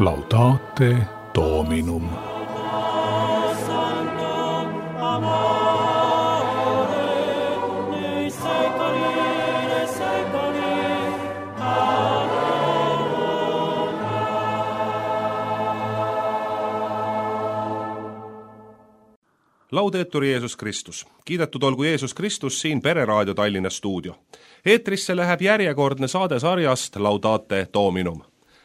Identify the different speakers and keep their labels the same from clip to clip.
Speaker 1: Laudate Dominum.
Speaker 2: Laudetur Jeesus Kristus. Kiidetud olgu Jeesus Kristus siin Pereraadio Tallinna stuudio. Eetrisse läheb järjekordne saade sarjast Laudate Dominum.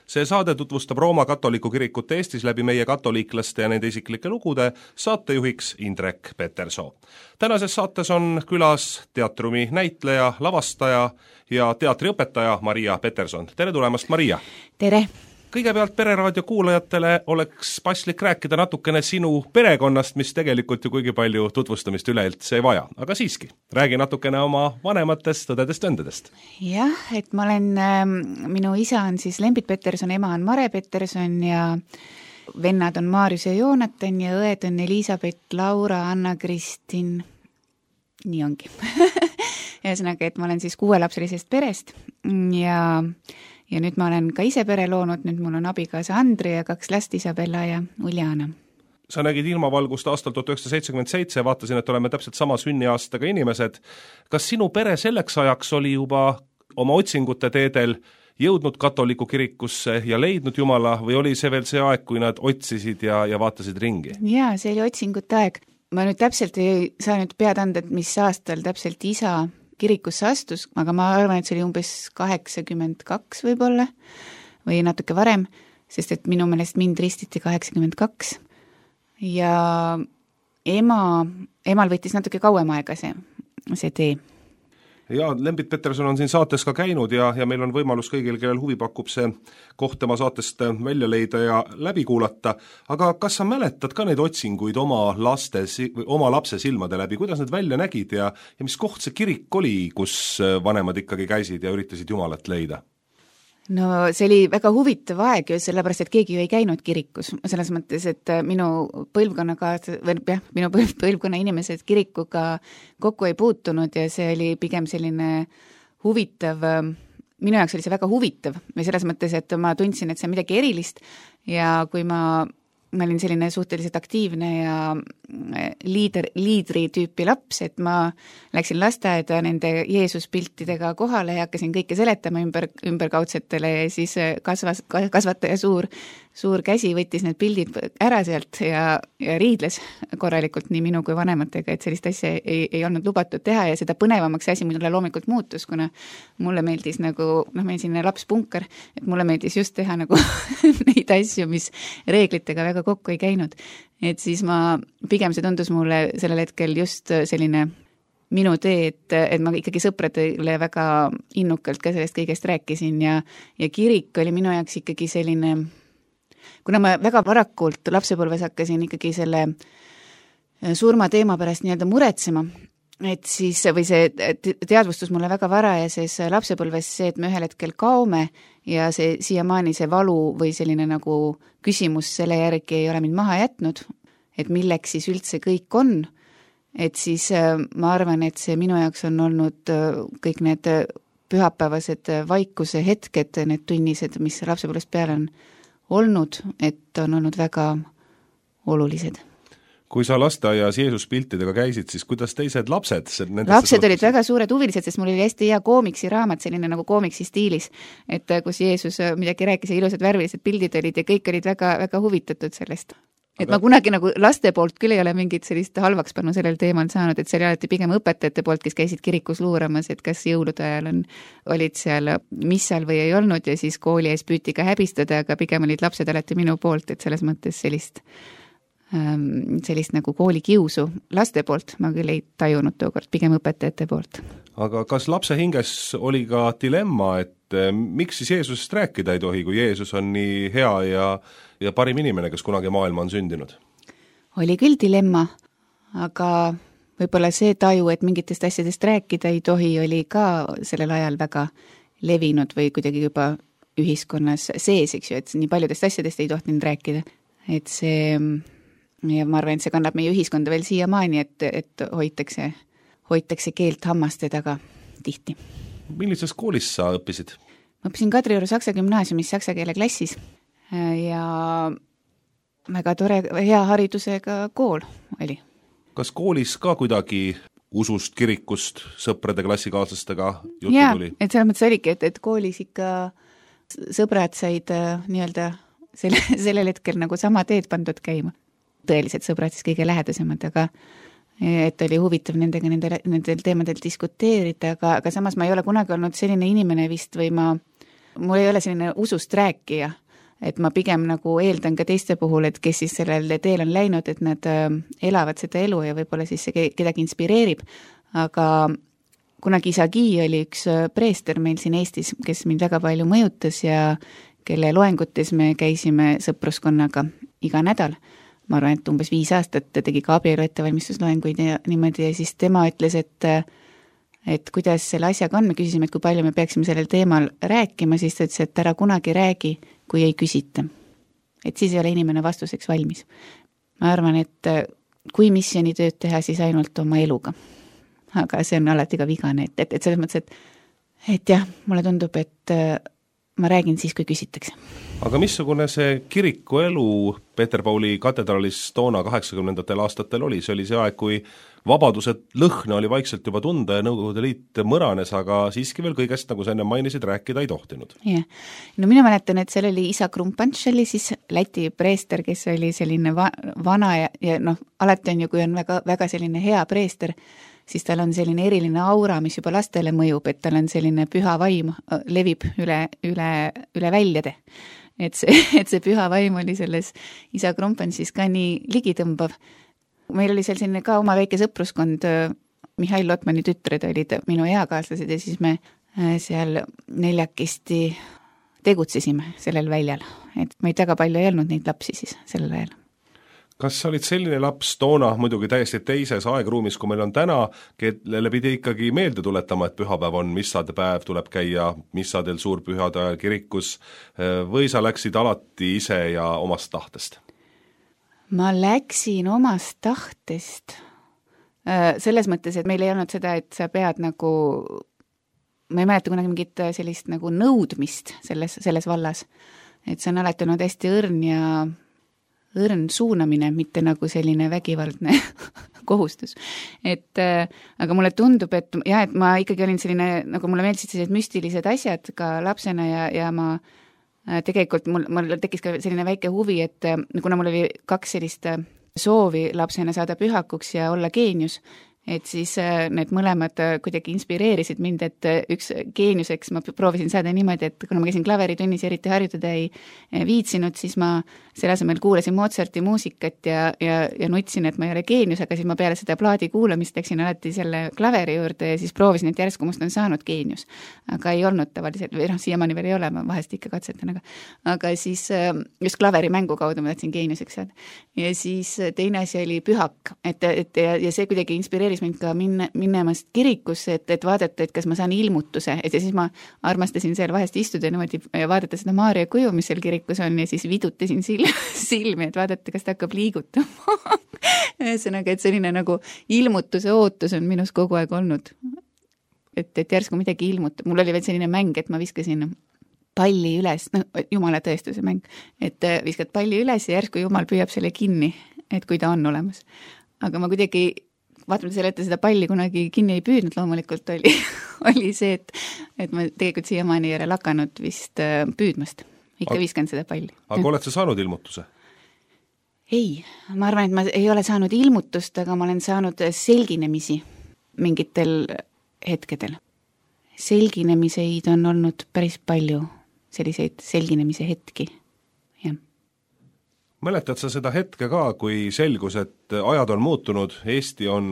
Speaker 2: See saade tutvustab Rooma katoliku kirikut Eestis läbi meie katoliiklaste ja nende isiklike lugude, saatejuhiks Indrek Petersoo. Tänases saates on külas teatrumi näitleja, lavastaja ja teatriõpetaja Maria Peterson. Tere tulemast, Maria!
Speaker 3: Tere!
Speaker 2: Kõigepealt Pereraadio kuulajatele oleks paslik rääkida natukene sinu perekonnast, mis tegelikult ju kuigi palju tutvustamist üleüldse ei vaja. Aga siiski, räägi natukene oma vanematest, õdedest-öndedest.
Speaker 3: Jah, et ma olen, minu isa on siis Lembit Peterson, ema on Mare Peterson ja vennad on Maarjus ja Joonatan ja õed on Elisabeth, Laura, Anna-Kristin, nii ongi. Ühesõnaga, et ma olen siis 6-lapselisest perest ja nüüd ma olen ka ise pere loonud, nüüd mul on abikaasa Andri ja 2 last, Isabella ja Uljana.
Speaker 2: Sa nägid ilmavalgust aastal 1977, vaatasin, et oleme täpselt sama sünniaastaga inimesed. Kas sinu pere selleks ajaks oli juba oma otsingute teedel jõudnud katoliku kirikusse ja leidnud Jumala või oli see veel see aeg, kui nad otsisid ja vaatasid ringi?
Speaker 3: Jaa, see oli otsingute aeg. Ma nüüd täpselt ei saa nüüd pead anda, et mis aastal täpselt isa kirikusse astus, aga ma arvan, et see oli umbes 82 võib-olla või natuke varem, sest et minu meelest mind ristiti 82 ja emal võttis natuke kauem aega see tee.
Speaker 2: Ja Lembit Peterson on siin saates ka käinud ja meil on võimalus kõigil, kellel huvi pakub see koht tema saatest välja leida ja läbi kuulata. Aga kas sa mäletad ka neid otsinguid oma lapse silmade läbi, kuidas need välja nägid ja mis koht see kirik oli, kus vanemad ikkagi käisid ja üritasid Jumalat leida?
Speaker 3: No see oli väga huvitav aeg ju, sellepärast, et keegi ju ei käinud kirikus, selles mõttes, et minu põlvkonna inimesed kirikuga kokku ei puutunud ja see oli pigem selline huvitav, minu jaoks oli see väga huvitav või selles mõttes, et ma tundsin, et see on midagi erilist ja kui ma olin selline suhteliselt aktiivne ja liidri tüüpi laps, et ma läksin lasteaeda nende Jeesuspiltidega kohale ja hakkasin kõike seletama ümberkaudsetele ja siis kasvataja suur käsi võttis need pildid ära sealt ja riidles korralikult nii minu kui vanematega, et sellist asja ei olnud lubatud teha ja seda põnevamaks asi mulle loomulikult muutus, kuna mulle meeldis nagu, meil siin lapspunkar, et mulle meeldis just teha nagu neid asju, mis reeglitega väga kokku ei käinud. Et siis pigem see tundus mulle sellel hetkel just selline minu tee, et ma ikkagi sõpradele väga innukalt ka sellest kõigest rääkisin ja kirik oli minu jaoks ikkagi selline, kuna ma väga varakult lapsepõlves hakkasin ikkagi selle surmateema pärast nii-öelda muretsema, et siis, või see teadvustus mulle väga varajases lapsepõlves see, et me ühel hetkel kaome ja see siiamaani see valu või selline nagu küsimus selle järgi ei ole mind maha jätnud, et milleks siis üldse kõik on, et siis ma arvan, et see minu jaoks on olnud kõik need pühapäevased vaikuse hetked, need tunnised, mis lapsepõlvest peale on olnud, et on olnud väga olulised.
Speaker 2: Kui sa lasteaias Jeesuspiltidega käisid, siis kuidas teised lapsed?
Speaker 3: Lapsed olid väga suured huvilised, sest mul oli hästi hea koomiksi raamat, selline nagu koomiksi stiilis, et kus Jeesus midagi rääkis ja ilusad värvilised pildid olid ja kõik olid väga, väga huvitatud sellest. Et ma kunagi nagu laste poolt küll ei ole mingit sellist halvaks pannu sellel teemal saanud, et see oli alati pigem õpetajate poolt, kes käisid kirikus luuramas, et kas jõulude ajal olid seal missal või ei olnud ja siis kooli ees püüti ka häbistada, aga pigem olid lapsed alati minu poolt, et selles mõttes sellist nagu koolikiusu laste poolt ma küll ei tajunud tookord, pigem õpetajate poolt.
Speaker 2: Aga kas lapse hinges oli ka dilemma, et miks siis Jeesusest rääkida ei tohi, kui Jeesus on nii hea ja parim inimene, kes kunagi maailma on sündinud? Oli
Speaker 3: küll dilemma, aga võib-olla see taju, et mingitest asjadest rääkida ei tohi, oli ka sellel ajal väga levinud või kuidagi juba ühiskonnas sees, eks ju, et nii paljudest asjadest ei tohtinud rääkida. Et see, ja ma arvan, et see kannab meie ühiskonda veel siiamaani, et hoitakse keelt hammaste taga tihti. Millises koolis sa õppisid? Ma õppisin Kadrioru Saksa gümnaasiumis saksa keele klassis. ja väga tore, hea haridusega kool oli.
Speaker 2: Kas koolis ka kuidagi usust, kirikust, sõprade, klassikaaslastega juttu tuli?
Speaker 3: Et selles mõttes oligi, et koolis ikka sõbrad said nii-öelda sellel hetkel nagu sama teed pandud käima. Tõelised sõbrad siis kõige lähedasemad, aga et oli huvitav nendega nendel teemadel diskuteerida, aga samas ma ei ole kunagi olnud selline inimene vist või mul ei ole selline usust rääkija, et ma pigem nagu eeldan ka teiste puhul, et kes siis sellel teel on läinud, et nad elavad seda elu ja võib-olla siis see kedagi inspireerib, aga kunagi isa Gi oli üks preester meil siin Eestis, kes mind väga palju mõjutas ja kelle loengutes me käisime sõpruskonnaga iga nädal. Ma arvan, et umbes 5 aastat ta tegi ka abielu ettevalmistusloenguid ja niimoodi ja siis tema ütles, et kuidas selle asjaga on, me küsisime, et kui palju me peaksime sellel teemal rääkima, siis ta ütles, et ära kunagi räägi, kui ei küsita. Et siis ei ole inimene vastuseks valmis. Ma arvan, et kui missioonitööd teha, siis ainult oma eluga. Aga see on alati ka vigane, et selles mõttes, et jah, mulle tundub, et ma räägin siis, kui küsitakse.
Speaker 2: Aga missugune see kiriku elu Peterpauli katedraalis toona 80. aastatel oli? See oli see aeg, kui vabaduse lõhna oli vaikselt juba tunda ja Nõukogude Liit mõranes, aga siiski veel kõigest, nagu sa enne mainisid, rääkida ei tohtinud.
Speaker 3: Yeah. No mina mäletan, et seal oli isa Krumpants, oli siis Läti preester, kes oli selline vana ja alati on ju, kui on väga, väga selline hea preester, siis tal on selline eriline aura, mis juba lastele mõjub, et tal on selline püha vaim, levib üle väljade. Et see püha vaim oli selles isa Krumpantsis ka nii ligitõmbav. Meil oli seal selline ka oma väike sõpruskond, Mihhail Lotmani tütred olid minu eakaaslased ja siis me seal 4 tegutsesime sellel väljal. Et meid väga palju ei olnud neid lapsi siis sellel ajal.
Speaker 2: Kas sa olid selline laps toona, muidugi täiesti teises aegruumis, kui meil on täna, kellele pidi ikkagi meelde tuletama, et pühapäev on missade päev, tuleb käia missadel suurpühade ajal kirikus, või sa läksid alati ise ja omast tahtest?
Speaker 3: Ma läksin omast tahtest. Selles mõttes, et meil ei olnud seda, et sa pead nagu, ma ei mäleta kunagi mingit sellist nagu nõudmist selles vallas, et see on alati olnud hästi õrn suunamine, mitte nagu selline vägivaldne kohustus. Aga mulle tundub, et ma ikkagi olin selline, nagu mulle meeldisid sellised müstilised asjad ka lapsena ja ma tegelikult mul tekkis ka selline väike huvi, et kuna mul oli 2 sellist soovi lapsena saada pühakuks ja olla geenius, et siis need mõlemad kuidagi inspireerisid mind, et üks geeniuseks ma proovisin saada niimoodi, et kuna ma käisin klaveritunnis ja eriti harjutada ei viitsinud, siis ma selle asemel kuulasin Mozarti muusikat ja nutsin, et ma ei ole geenius, aga siis ma peale seda plaadi kuulamist läksin alati selle klaveri juurde ja siis proovisin, et järsku must on saanud geenius. Aga ei olnud tavaliselt, või siiamaani veel ei ole, ma vahest ikka katsetan, aga siis just klaveri mängu kaudu ma tahtsin geeniuseks saada. Ja siis teine asi oli pühak, ja see kuidagi inspireeris mind ka minemast kirikusse, et vaadata, et kas ma saan ilmutuse, et ja siis ma armastasin seal vahest istuda niimoodi ja vaadata seda Maarja kuju, mis seal kirikus on ja siis vidutasin silmi, et vaadata, kas ta hakkab liigutama. Ühesõnaga, et selline nagu ilmutuse ootus on minus kogu aeg olnud. Et järsku midagi ilmutab. Mul oli veel selline mäng, et ma viskasin palli üles, jumala tõestuse mäng, et viskad palli üles ja järsku jumal püüab selle kinni, et kui ta on olemas. Aga ma kuidagi vaatamata selle ette seda palli kunagi kinni ei püüdnud, loomulikult oli see, et ma tegelikult siiamaani ei ole lakanud vist püüdmast. Ikka viskan seda palli.
Speaker 2: Aga oled sa saanud ilmutuse?
Speaker 3: Ei, ma arvan, et ma ei ole saanud ilmutust, aga ma olen saanud selginemisi mingitel hetkedel. Selginemiseid on olnud päris palju, selliseid selginemise hetki.
Speaker 2: Mäletad sa seda hetke ka, kui selgus, et ajad on muutunud, Eesti on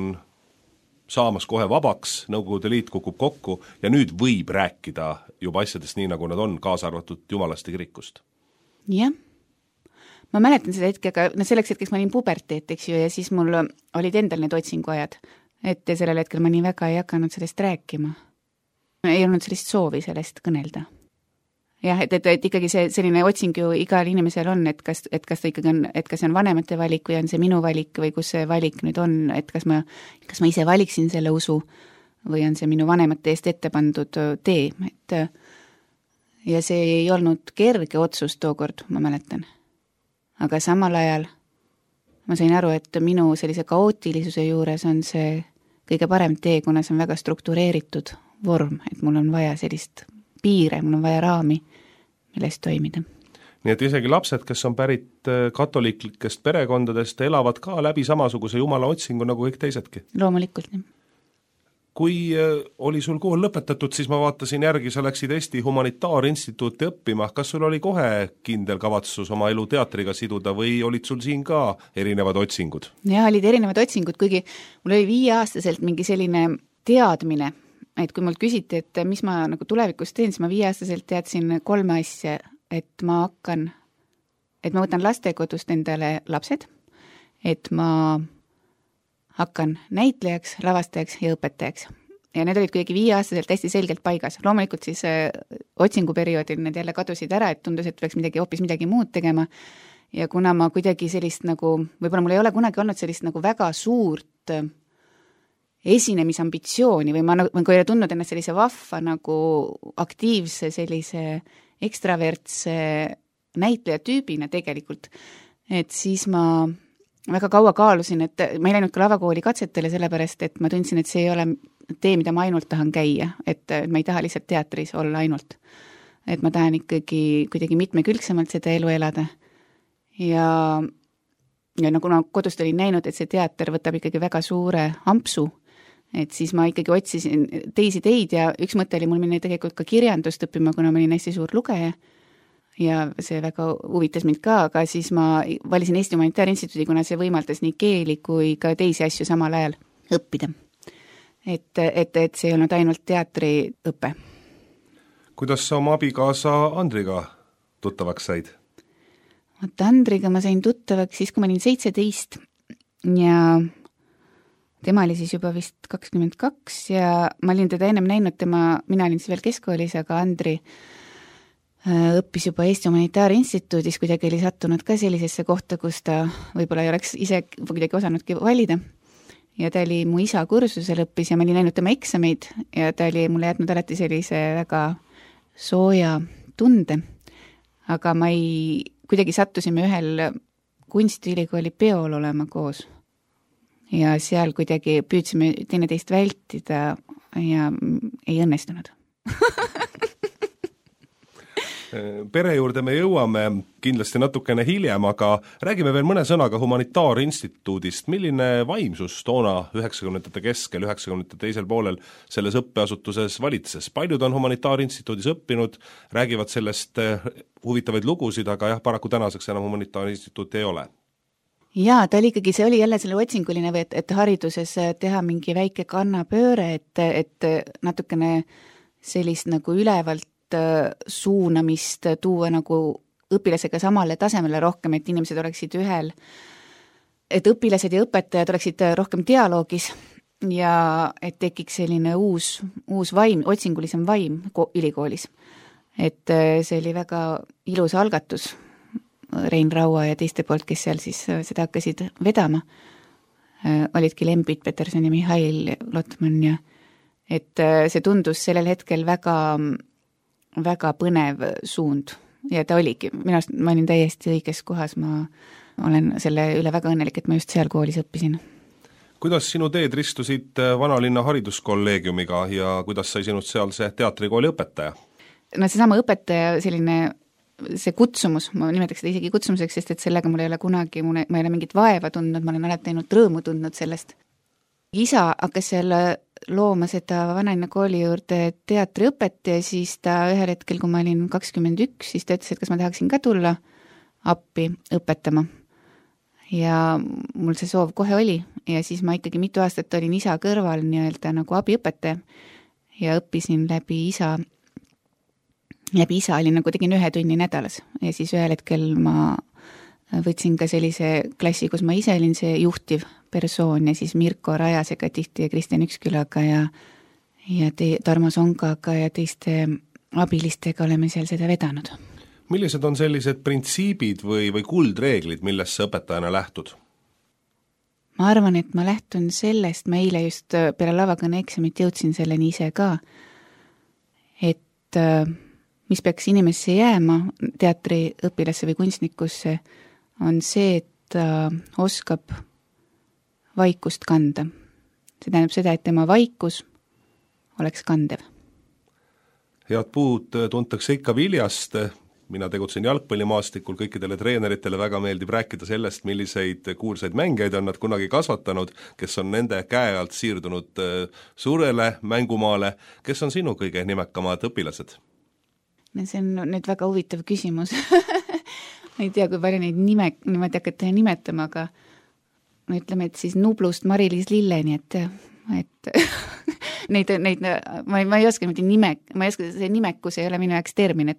Speaker 2: saamas kohe vabaks, Nõukogude Liit kukub kokku ja nüüd võib rääkida juba asjadest nii, nagu nad on, kaasa arvatud Jumalaste kirikust?
Speaker 3: Jah, ma mäletan seda hetke, aga selleks hetkeks ma olin puberteet, eks ju, ja siis mul olid endal need otsinguajad, et sellel hetkel ma nii väga ei hakanud sellest rääkima. Ei olnud sellist soovi sellest kõnelda. Jah, et ikkagi see selline otsing ju igal inimesel on, et kas ta ikkagi on, et kas see on vanemate valik või on see minu valik või kus see valik nüüd on, et kas ma ise valiksin selle usu või on see minu vanemate eest ette pandud tee, ja see ei olnud kerge otsus tookord, ma mäletan. Aga samal ajal ma sain aru, et minu sellise kaootilisuse juures on see kõige parem tee, kuna see on väga struktureeritud vorm, et mul on vaja sellist piire, mul on vaja raami, milles toimida.
Speaker 2: Nii et isegi lapsed, kes on pärit katoliiklikest perekondadest, elavad ka läbi samasuguse jumala otsingu nagu kõik teisedki.
Speaker 3: Loomulikult, nii.
Speaker 2: Kui oli sul kool lõpetatud, siis ma vaatasin järgi, sa läksid Eesti Humanitaarinstituuti õppima. Kas sul oli kohe kindel kavatsus oma elu teatriga siduda või olid sul siin ka erinevad otsingud?
Speaker 3: Jah, olid erinevad otsingud, kuigi mul oli 5-aastaselt mingi selline teadmine, et kui mult küsiti, et mis ma nagu tulevikus teen, siis ma 5-aastaselt teadsin 3 asja, et ma võtan lastekodust endale lapsed, et ma hakkan näitlejaks, lavastajaks ja õpetajaks. Ja need olid kuidagi 5-aastaselt hästi selgelt paigas. Loomulikult siis otsinguperioodil need jälle kadusid ära, et tundus, et peaks hoopis midagi muud tegema. Ja kuna ma kuidagi sellist nagu, võib-olla mul ei ole kunagi olnud sellist nagu väga suurt esinemisambitsiooni või ma ei ole tundnud ennast sellise vahva nagu aktiivse sellise ekstravertse näitleja tüübina tegelikult, et siis ma väga kaua kaalusin, et ma ei läinud ka lavakooli katsetele, sellepärast, et ma tundsin, et see ei ole tee, mida ma ainult tahan käia, et ma ei taha lihtsalt teatris olla ainult. Et ma tahan ikkagi kuidagi mitmekülgsemalt seda elu elada. Ja nagu ma kodust olin näinud, et see teater võtab ikkagi väga suure ampsu, et siis ma ikkagi otsisin teisi teid ja üks mõte oli mul minna tegelikult ka kirjandust õppima, kuna ma olin hästi suur lugeja. Ja see väga huvitas mind ka, aga siis ma valisin Eesti Humanitaarinstituudi, kuna see võimaldas nii keeli kui ka teisi asju samal ajal õppida. Et see ei olnud ainult teatriõpe.
Speaker 2: Kuidas sa oma abikaasa Andriga tuttavaks said?
Speaker 3: Andriga ma sain tuttavaks siis, kui ma olin 17 ja tema oli siis juba vist 22 ja ma olin teda ennem näinud, mina olin siis veel keskkoolis, aga Andri õppis juba Eesti Humanitaarinstituudis, kuidagi oli sattunud ka sellisesse kohta, kus ta võib-olla ei oleks ise kuidagi osanudki valida. Ja ta oli mu isa kursusel õppis ja ma olin näinud tema eksameid ja ta oli mulle jätnud alati sellise väga sooja tunde. Aga kuidagi sattusime ühel kunstiülikooli peol olema koos. Ja seal kuidagi püüdsime teineteist vältida ja ei õnnestunud.
Speaker 2: Pere juurde me jõuame kindlasti natukene hiljem, aga räägime veel mõne sõnaga Humanitaarinstituudist. Milline vaimsus toona 90-ndate keskel, 90-ndate teisel poolel selles õppeasutuses valitses? Paljud on Humanitaarinstituudis õppinud, räägivad sellest huvitavaid lugusid, aga jah, paraku tänaseks enam Humanitaarinstituuti ei ole.
Speaker 3: Jaa, see oli jälle selle otsinguline või, et hariduses teha mingi väike kannapööre, et natukene sellist nagu ülevalt suunamist tuua nagu õpilasega samale tasemele rohkem, et inimesed oleksid ühel, et õpilased ja õpetajad oleksid rohkem dialoogis ja et tekiks selline uus vaim, otsingulisem vaim ülikoolis. Et see oli väga ilus algatus Rein Raua ja teiste poolt, kes seal siis seda hakkasid vedama. Olidki Lembit Peterson ja Mihhail Lotman ja et see tundus sellel hetkel väga põnev suund ja ta oligi. Ma olin täiesti õiges kohas, ma olen selle üle väga õnnelik, et ma just seal koolis õppisin.
Speaker 2: Kuidas sinu teed ristusid Vanalinna hariduskolleegiumiga ja kuidas sai sinust seal see teatrikooli õpetaja? No seesama õpetaja, see kutsumus, ma nimetaks seda isegi kutsumuseks, sest et sellega mul ei ole kunagi, ma ei ole mingit vaeva tundnud, ma olen alati ainult rõõmu tundnud sellest. Isa hakkas seal looma seda Vanalinna kooli juurde teatriõpet ja siis ta ühel hetkel, kui ma olin 21, siis ta ütles, et kas ma tahaksin ka tulla appi õpetama. Ja mul see soov kohe oli ja siis ma ikkagi mitu aastat olin isa kõrval nii-öelda nagu abiõpetaja ja õppisin läbi isa olin nagu tegin 1 tunni nädalas ja siis ühel hetkel ma võtsin ka sellise klassi, kus ma ise olin see juhtiv persoon ja siis Mirko Rajasega tihti ja Kristjan Ükskülaga ja Tarmo Songaga ja teiste abilistega oleme seal seda vedanud. Millised on sellised printsiibid või kuldreeglid, millest sa õpetajana lähtud? Ma arvan, et ma lähtun sellest, ma eile just peale lavakõne eksamit jõudsin selleni ise ka, et
Speaker 3: mis peaks inimesse jääma, teatriõpilasse või kunstnikusse, on see, et ta oskab vaikust kanda. See tähendab seda, et tema vaikus oleks kandev.
Speaker 2: Head puud tuntakse ikka viljast. Mina tegutsen jalgpallimaastikul, kõikidele treeneritele väga meeldib rääkida sellest, milliseid kuulsaid mängijaid on nad kunagi kasvatanud, kes on nende käe alt siirdunud suurele mängumaale, kes on sinu kõige nimekamad õpilased?
Speaker 3: See on nüüd väga huvitav küsimus. Ma ei tea, kui palju neid niimoodi hakata nimetama, aga no ütleme, et siis Nublust Mari-Liis Lilleni, et neid ma ei oska see nimekus ei ole minu jaoks termin,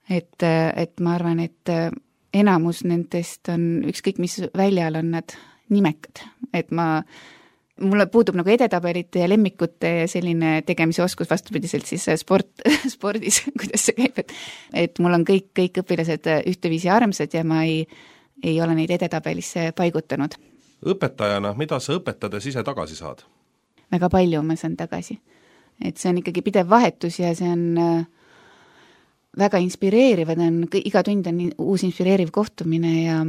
Speaker 3: et ma arvan, et enamus nendest on ükskõik, mis väljal on nad nimekad, et mulle puudub nagu edetabelite ja lemmikute ja selline tegemise oskus vastupidiselt siis spordis, kuidas see käib, et mul on kõik õpilased ühteviisi armsad ja ma ei ole neid edetabelisse paigutanud.
Speaker 2: Õpetajana, mida sa õpetades ise tagasi saad?
Speaker 3: Väga palju ma saan tagasi. Et see on ikkagi pidev vahetus ja see on väga inspireeriv, iga tund on uus inspireeriv kohtumine ja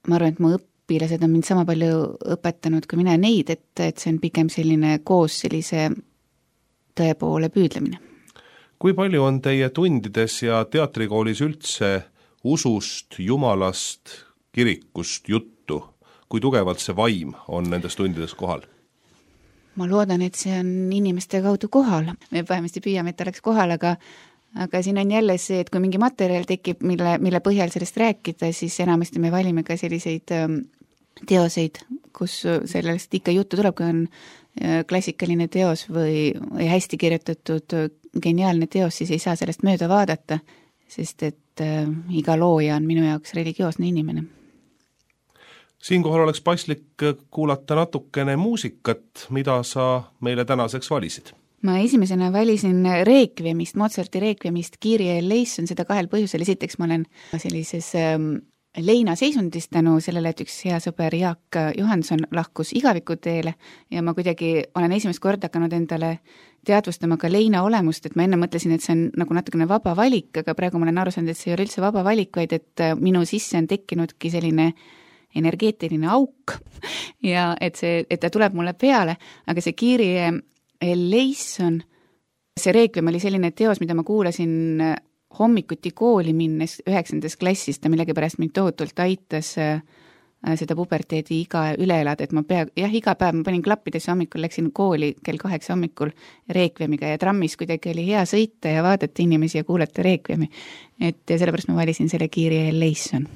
Speaker 3: ma arvan, et mu õpilased on mind sama palju õpetanud kui mina neid, et see on pigem selline koos sellise tõe poole püüdlemine.
Speaker 2: Kui palju on teie tundides ja teatrikoolis üldse usust, jumalast, kirikust juttu? Kui tugevalt see vaim on nendes tundides kohal?
Speaker 3: Ma loodan, et see on inimeste kaudu kohal. Me vähemasti püüame, et oleks kohal, aga siin on jälle see, et kui mingi materjal tekib, mille põhjal sellest rääkida, siis enamasti me valime ka selliseid teoseid, kus sellest ikka juttu tuleb, kui on klassikaline teos või hästi kirjutatud geniaalne teos, siis ei saa sellest mööda vaadata, sest et iga looja on minu jaoks religioosne inimene.
Speaker 2: Siinkohal oleks paslik kuulata natukene muusikat, mida sa meile tänaseks valisid.
Speaker 3: Ma esimesena valisin Requiemist, Mozarti Requiemist, Kyrie eleison, seda kahel põhjusel. Esiteks ma olen sellises leinaseisundis tänu sellele, et üks hea sõber Jaak Johanson lahkus igavikuteele ja ma kuidagi olen esimest korda hakanud endale teadvustama ka leina olemust, et ma enne mõtlesin, et see on nagu natukene vaba valik, aga praegu ma olen aru saanud, et see ei ole üldse vaba valik, vaid et minu sisse on tekkinudki selline energeetiline auk ja et ta tuleb mulle peale, aga see Kyrie eleison, see Requiem oli selline teos, mida ma kuulasin hommikuti kooli minnes 9. klassis, ta millegipärast mind tohutult aitas seda puberteedi iga üle elada, et iga päev ma panin klappidesse hommikul, läksin kooli kell 8 hommikul Requiemiga ja trammis kuidagi oli hea sõita ja vaadata inimesi ja kuulata Requiemi, et sellepärast ma valisin selle Kyrie eleison.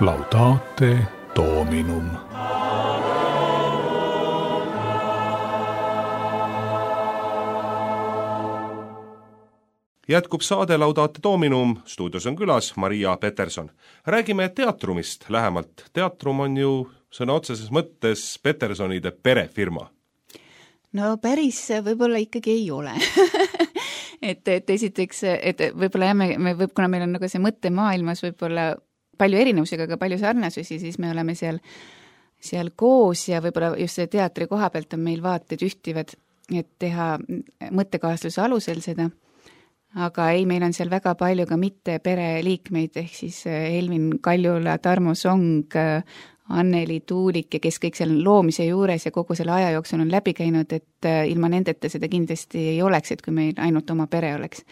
Speaker 1: Laudate Dominum.
Speaker 2: Jätkub saade Laudate Dominum, stuudios on külas Maria Peterson. Räägime teatrumist lähemalt. Teatrum on ju sõna otseses mõttes Petersonide perefirma.
Speaker 3: No päris võib-olla ikkagi ei ole. et esiteks, et võib-olla jah, kuna meil on nagu see mõttemaailmas võib-olla palju erinevusega, aga palju sarnasusi, siis me oleme seal koos ja võib-olla just see teatri koha pealt on meil vaated ühtivad, et teha mõttekaasluse alusel seda. Aga ei, meil on seal väga palju ka mitte pereliikmeid, ehk siis Elvin Kaljula, Tarmo Song, Anneli Tuulik ja kes kõik seal loomise juures ja kogu selle aja jooksul on läbi käinud, et ilma nendeta seda kindlasti ei oleks, et kui meil ainult oma pere oleks.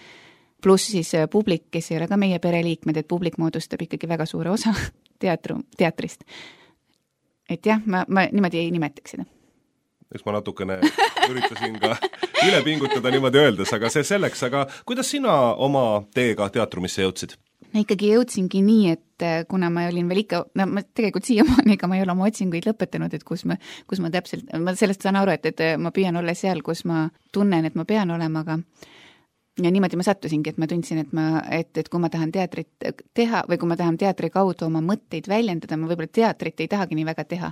Speaker 3: Pluss siis publik, kes ei ole ka meie pereliikmed, et publik moodustab ikkagi väga suure osa teatrist. Et jah, ma niimoodi ei nimetaks seda.
Speaker 2: Eks ma natukene üritasin ka üle pingutada niimoodi öeldes, aga see selleks, aga kuidas sina oma teega teatrumisse jõudsid?
Speaker 3: Ma ikkagi jõudsingi nii, et kuna ma olin veel ikka, ma tegelikult siiamaani, ega ma ei ole oma otsinguid lõpetanud, et kus ma täpselt, ma sellest saan aru, et ma püüan olla seal, kus ma tunnen, et ma pean olema, aga ja niimoodi ma sattusingi, et ma tundsin, et kui ma tahan teatrit teha või kui ma tahan teatri kaudu oma mõtteid väljendada, ma võib-olla teatrit ei tahagi nii väga teha.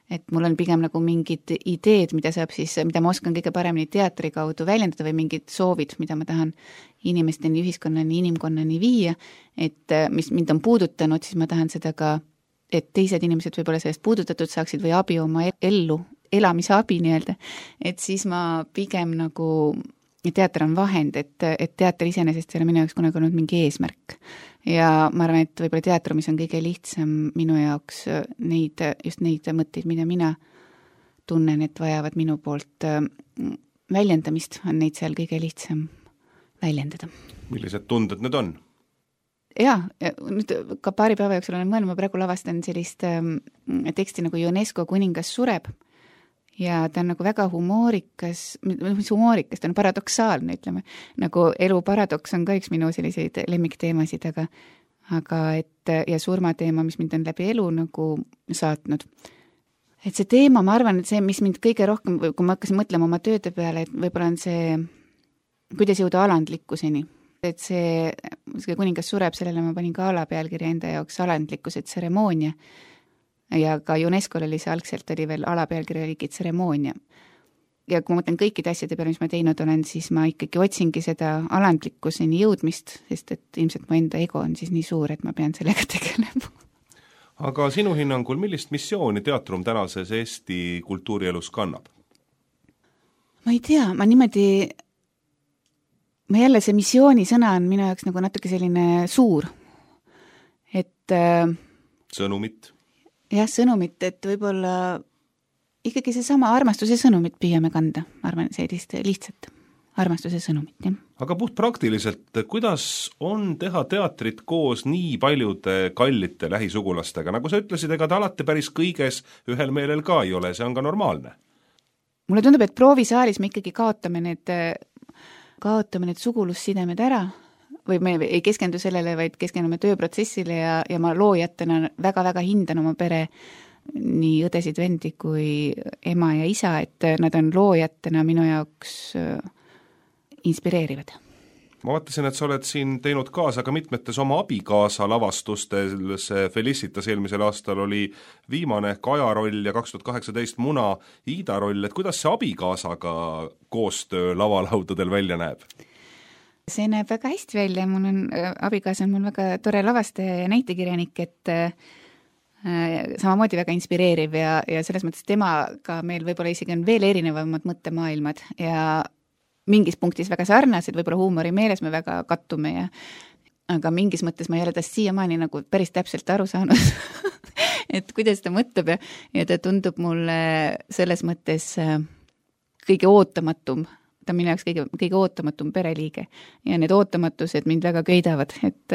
Speaker 3: Et mul on pigem nagu mingid ideed, mida ma oskan kõige paremini teatri kaudu väljendada või mingid soovid, mida ma tahan inimesteni, ühiskonnani, inimkonnani viia, et mis mind on puudutanud, siis ma tahan seda ka, et teised inimesed võib-olla sellest puudutatud saaksid või abi oma elamise abi nii-öelda, et siis ma pigem nagu teater on vahend, et teater iseenesest ei ole minu jaoks kunagi olnud mingi eesmärk. Ja ma arvan, et võib-olla teatrumis on kõige lihtsam minu jaoks just neid mõtteid, mida mina tunnen, et vajavad minu poolt väljendamist, on neid seal kõige lihtsam väljendada.
Speaker 2: Millised tunded need on?
Speaker 3: Jaa, nüüd ka paari päeva jooksul olen mõelnud, ma praegu lavastan sellist teksti nagu UNESCO kuningas sureb. Ja ta on nagu väga humoorikas, ta on paradoksaalne, ütleme, nagu elu paradoks on ka üks minu selliseid lemmikteemasid, aga ja surmateema, mis mind on läbi elu nagu saatnud. Et see teema, ma arvan, et see, mis mind kõige rohkem, kui ma hakkasin mõtlema oma tööde peale, et võib-olla on see, kuidas jõuda alandlikkuseni. Et see kuningas sureb, sellele ma panin ka alapealkirja enda jaoks alandlikkuse tseremoonia. Ja ka UNESCO oli see algselt oli veel alapealkirja oligi tseremoonia. Ja kui ma mõtlen kõikide asjade peale, mis ma teinud olen, siis ma ikkagi otsingi seda alandlikkuseni jõudmist, sest et ilmselt mu enda ego on siis nii suur, et ma pean sellega tegelema.
Speaker 2: Aga sinu hinnangul, millist missiooni teatrum tänases Eesti kultuurielus kannab?
Speaker 3: Ma ei tea, ma jälle see missiooni sõna on minu jaoks nagu natuke selline suur. Et
Speaker 2: sõnumit?
Speaker 3: Jah, sõnumit, et võib-olla ikkagi see sama armastuse sõnumit püüame kanda, ma arvan, sellist lihtsalt armastuse sõnumit. Jah.
Speaker 2: Aga puht praktiliselt, kuidas on teha teatrit koos nii paljude kallite lähisugulastega? Nagu sa ütlesid, ega ta alati päris kõiges ühel meelel ka ei ole, see on ka normaalne.
Speaker 3: Mulle tundub, et proovisaalis me ikkagi kaotame need sugulussidemed ära, või me ei keskendu sellele, vaid keskendume tööprotsessile ja ma loojatena väga-väga hindan oma pere nii õdesid vendi kui ema ja isa, et nad on loojatena minu jaoks inspireerivad.
Speaker 2: Ma vaatasin, et sa oled siin teinud kaasa ka mitmetes oma abikaasa lavastustes, Felicitas eelmisel aastal oli viimane Kaja roll ja 2018 Muna Iida roll, et kuidas see abikaasaga koostöö lavalaudadel välja näeb?
Speaker 3: See näeb väga hästi välja, abikaasa on mul väga tore lavastaja ja näitekirjanik, et samamoodi väga inspireeriv ja selles mõttes temaga meil võib-olla isegi on veel erinevamad mõttemaailmad ja mingis punktis väga sarnased, võib-olla huumori meeles me väga kattume aga mingis mõttes ma ei ole tast siiamaani nagu päris täpselt aru saanud, et kuidas ta mõtleb ja ta tundub mulle selles mõttes kõige ootamatum. Ta on minu jaoks kõige ootamatum pereliige ja need ootamatused mind väga köidavad, et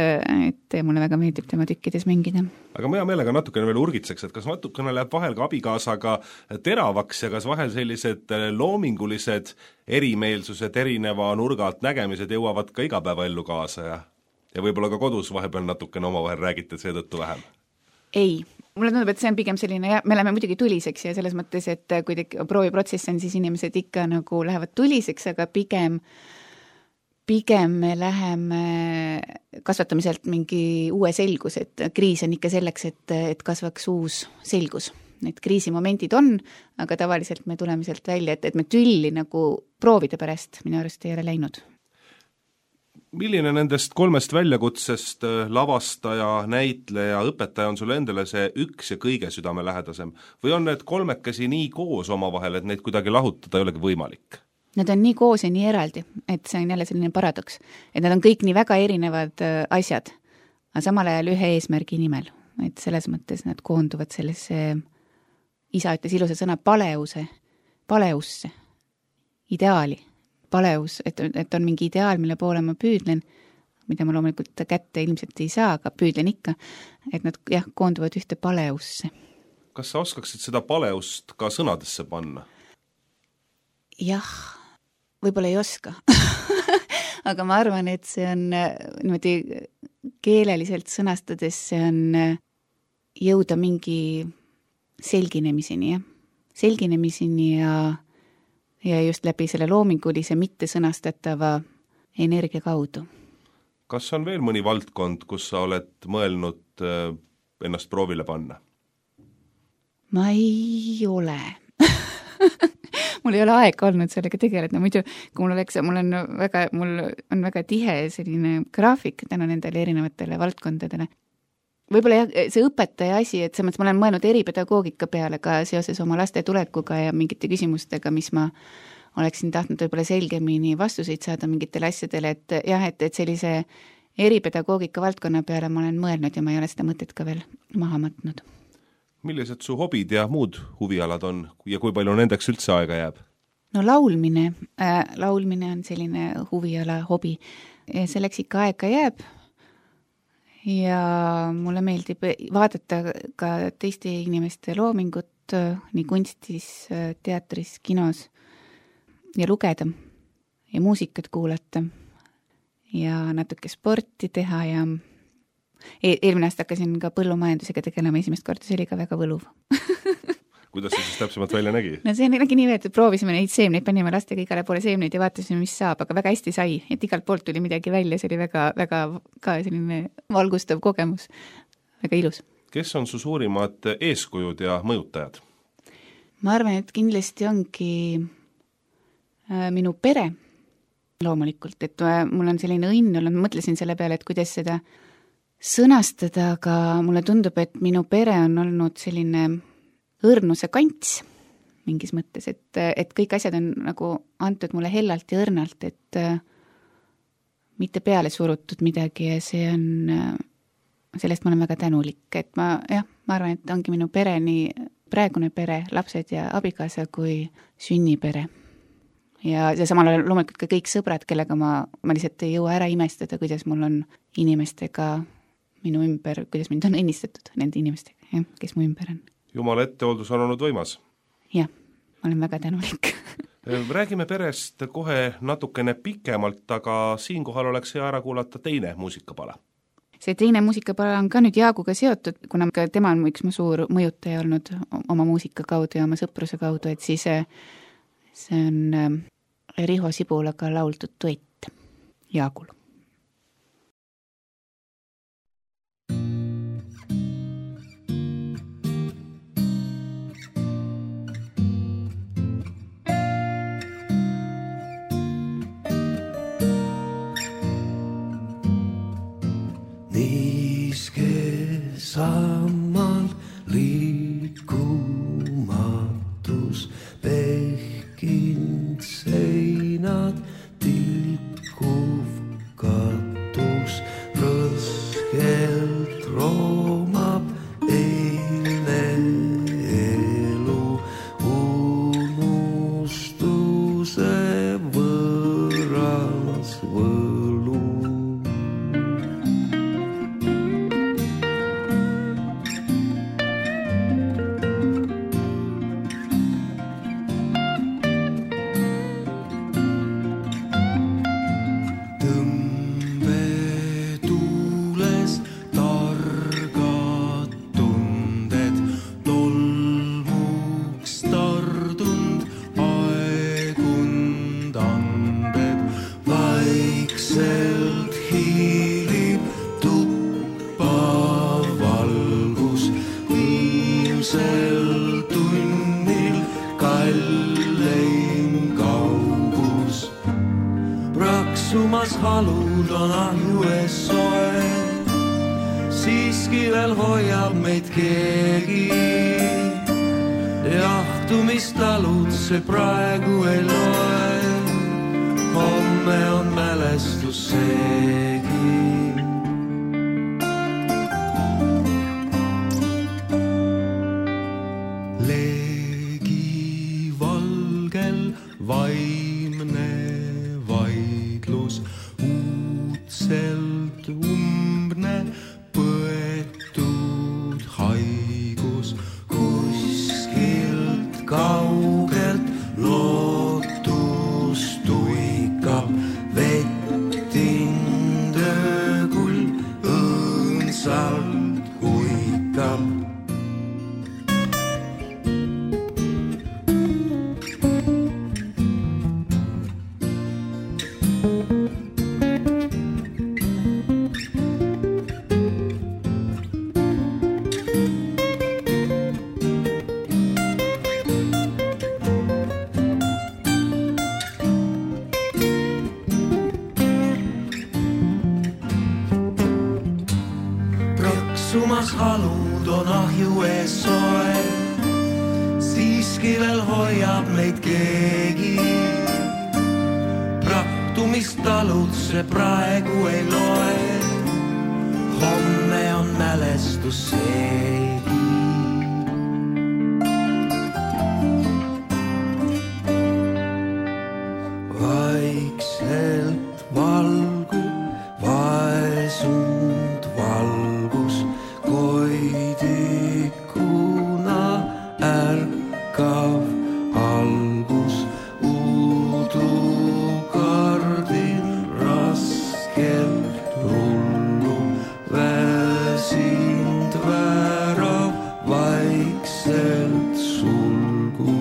Speaker 3: mulle väga meeldib tema tükkides mängida.
Speaker 2: Aga ma hea meelega natukene veel urgitseks, et kas natukene läheb vahel ka abikaasaga teravaks ja kas vahel sellised loomingulised erimeelsused, erineva nurgalt nägemised jõuavad ka igapäevaellu kaasa ja võib-olla ka kodus vahepeal natukene omavahel räägite seetõttu vähem?
Speaker 3: Ei, mulle tundub, et see on pigem selline, me läheme muidugi tuliseks ja selles mõttes, et kui prooviprotsess on, siis inimesed ikka nagu lähevad tuliseks, aga pigem me läheme kasvatamiselt mingi uue selgus, et kriis on ikka selleks, et kasvaks uus selgus. Need kriisimomendid on, aga tavaliselt me tuleme sealt välja, et me tülli nagu proovide pärast minu arust ei ole läinud.
Speaker 2: Milline nendest 3 väljakutsest, lavastaja, näitleja, õpetaja on sulle endale see üks ja kõige südamelähedasem? Või on need 3 nii koos omavahel, et neid kuidagi lahutada ei olegi võimalik?
Speaker 3: Nad on nii koos ja nii eraldi, et see on jälle selline paradoks. Et nad on kõik nii väga erinevad asjad, aga samal ajal ühe eesmärgi nimel. Et selles mõttes nad koonduvad sellesse, isa ütles ilusa sõna paleusse, ideaali. Paleus, et on mingi ideaal, mille poole ma püüdlen, mida ma loomulikult kätte ilmselt ei saa, aga püüdlen ikka, et nad koonduvad ühte paleusse.
Speaker 2: Kas sa oskaksid seda paleust ka sõnadesse panna?
Speaker 3: Jah, võib-olla ei oska. Aga ma arvan, et see on niimoodi keeleliselt sõnastades, see on jõuda mingi selginemiseni ja just läbi selle loomingulise mittesõnastatava energia kaudu.
Speaker 2: Kas on veel mõni valdkond, kus sa oled mõelnud ennast proovile panna?
Speaker 3: Ma ei ole. Mul ei ole aega olnud sellega tegeleda, muidu kui mul on väga tihe selline graafik tänu nendele erinevatele valdkondadele. Võib-olla see õpetaja asi, et selles mõttes ma olen mõelnud eripedagoogika peale ka seoses oma laste tulekuga ja mingite küsimustega, mis ma oleksin tahtnud võib-olla selgemini vastuseid saada mingitele asjadele, et sellise eripedagoogika valdkonna peale ma olen mõelnud ja ma ei ole seda mõtet ka veel maha matnud.
Speaker 2: Millised su hobid ja muud huvialad on ja kui palju nendeks üldse aega jääb?
Speaker 3: No laulmine on selline huviala, hobi. Selleks ikka aega jääb. Ja mulle meeldib vaadata ka teiste inimeste loomingut nii kunstis, teatris, kinos ja lugeda ja muusikat kuulata ja natuke sporti teha ja eelmine aasta hakkasin ka põllumajandusega tegelema esimest korda, see oli ka väga võluv.
Speaker 2: Kuidas see siis täpsemalt välja nägi?
Speaker 3: No see nägi nii, et proovisime neid seemneid, panime lastega igale poole seemneid ja vaatasime, mis saab, aga väga hästi sai, et igalt poolt tuli midagi välja, see oli väga, väga ka selline valgustav kogemus, väga ilus.
Speaker 2: Kes on su suurimad eeskujud ja mõjutajad?
Speaker 3: Ma arvan, et kindlasti ongi minu pere loomulikult, et mul on selline õnn olnud, ma mõtlesin selle peale, et kuidas seda sõnastada, aga mulle tundub, et minu pere on olnud selline õrnuse kants mingis mõttes, et kõik asjad on nagu antud mulle hellalt ja õrnalt, et mitte peale surutud midagi ja see on, sellest ma olen väga tänulik, et ma arvan, et ongi minu pere, nii praegune pere, lapsed ja abikaasa kui sünnipere. Ja samal ajal loomulikult ka kõik sõbrad, kellega ma lihtsalt ei jõua ära imestada, kuidas mul on inimestega minu ümber, kuidas mind on õnnistatud nende inimestega, kes mu ümber on.
Speaker 2: Jumala ettehooldus on olnud võimas.
Speaker 3: Jah, ma olen väga tänulik.
Speaker 2: Räägime perest kohe natukene pikemalt, aga siinkohal oleks hea ära kuulata teine muusikapala.
Speaker 3: See teine muusikapala on ka nüüd Jaaguga seotud, kuna ka tema on üks mu suur mõjutaja olnud oma muusika kaudu ja oma sõpruse kaudu, et siis see on Riho Sibulaga lauldud duett Jaagul.
Speaker 4: Sammal liikumatus, pehkind seinad, tilkuv katus, rõskelt roomab eile elu, unustuse võõras võlu. Tõmbetuules targa alud on ahju ees soe, siiski veel hoiab meid keegi. Jahtumistalud see praegu ei loe, homme on mälestus seegi. Leegi valgel vaimne vaidlus, uudselt umbne põetud haigus, kuskilt kaugelt lootus tuikab, vettind öökul õõnsalt huikab. Sumas halud on ahju ees soe, siiski veel hoiab meid keegi. Praktumistalud see praegu ei loe, homme on mälestus seegi. Vaikselt valgub vaesund valgus, koidikuna ärkav algus, uudukardin raskelt rullu, väsind värav vaikselt sulgu.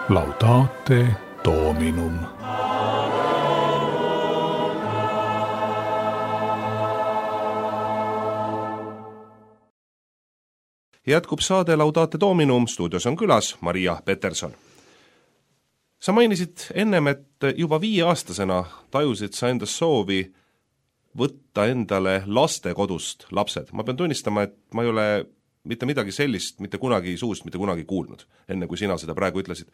Speaker 1: Laudate Dominum.
Speaker 2: Jätkub saade Laudate Dominum, stuudios on külas Maria Peterson. Sa mainisid ennem, et juba 5-aastasena tajusid sa endas soovi võtta endale lastekodust lapsed. Ma pean tunnistama, et ma ei ole mitte midagi sellist mitte kunagi suust mitte kunagi kuulnud, enne kui sina seda praegu ütlesid.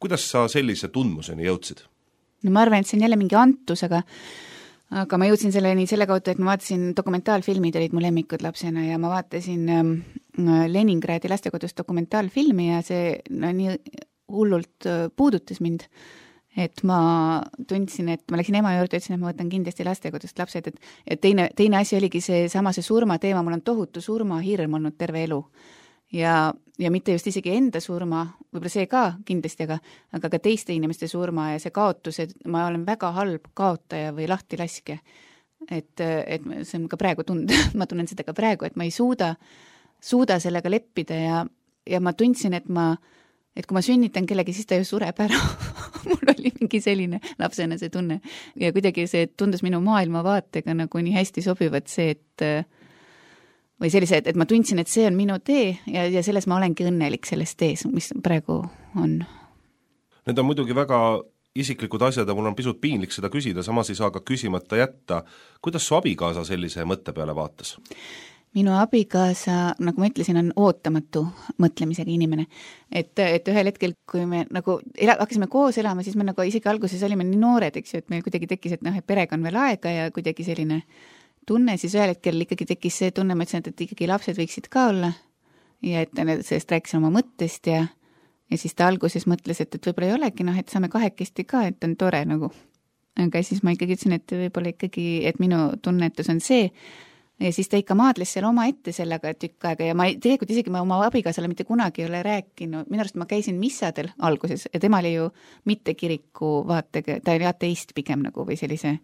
Speaker 2: Kuidas sa sellise tundmuseni jõudsid?
Speaker 3: No ma arvan, et see on jälle mingi antus, aga ma jõudsin selleni selle kaudu, et ma vaatasin dokumentaalfilmid, olid mu lemmikud lapsena ja ma vaatasin Leningradi lastekodust dokumentaalfilmi ja see nii hullult puudutas mind, et ma tundsin, et ma läksin ema juurde ja ütlesin, et ma võtan kindlasti lastekodust lapsed, et teine asi oligi see surma teema, mul on tohutu surmahirm olnud terve elu ja mitte just isegi enda surma, võib-olla see ka kindlasti, aga ka teiste inimeste surma ja see kaotus, et ma olen väga halb kaotaja või lahtilaske, et see on ka praegu ma tunnen seda ka praegu, et ma ei suuda sellega leppida ja ma tundsin, et kui ma sünnitan kellegi, siis ta ju sureb ära. Mul oli mingi selline lapsena see tunne. Ja kuidagi see tundus minu maailmavaatega nagu nii hästi sobivat see, või sellise, et ma tundsin, et see on minu tee ja selles ma olengi õnnelik selles tees, mis praegu on.
Speaker 2: Need on muidugi väga isiklikud asjad ja mul on pisut piinlik seda küsida, samas ei saa ka küsimata jätta. Kuidas su abikaasa sellise mõtte peale vaatas?
Speaker 3: Minu abikaasa, nagu ma ütlesin, on ootamatu mõtlemisega inimene. Et ühel hetkel, kui me nagu hakkasime koos elama, siis me nagu isegi alguses olime nii noored, eks ju, et meil kuidagi tekkis, et perega on veel aega ja kuidagi selline tunne, siis ühel hetkel ikkagi tekkis see tunne, ma ütlesin, et ikkagi lapsed võiksid ka olla ja et sellest rääkisin oma mõttest ja siis ta alguses mõtles, et võib-olla ei olegi, et saame kahekesti ka, et on tore nagu. Aga siis ma ikkagi ütlesin, et võib-olla ikkagi, et minu tunnetus on see ja siis ta ikka maadles seal oma ette sellega tükk aega ja ma tegelikult isegi oma abikaasale mitte kunagi ei ole rääkinud, minu arust ma käisin missadel alguses ja tema oli ju mitte kiriku vaatega, ta oli ateist pigem nagu või sellise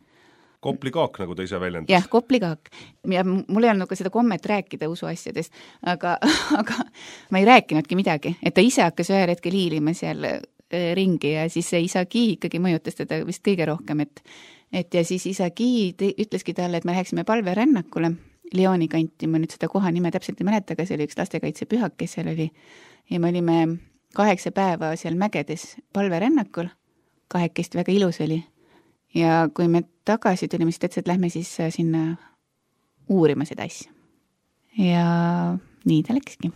Speaker 2: Koplikaak, nagu ta ise väljendas.
Speaker 3: Jah, koplikaak. Ja mul ei olnud nagu seda kommet rääkida usuasjadest, aga ma ei rääkinudki midagi, et ta ise hakkas ühel hetkel hiilima seal ringi ja siis see isa Gi ikkagi mõjutas teda vist kõige rohkem, et ja siis isa Gi ütleski talle, et me läheksime palverännakule Lyoni kanti, ma nüüd seda koha nime täpselt ei mäleta, aga see oli üks lastekaitsepühak, kes seal oli ja me olime 8 päeva seal mägedes palverännakul, 2 väga ilus oli ja kui me tagasi tulime, siis täitsa, et lähme siis sinna uurima seda asja ja nii ta läkski.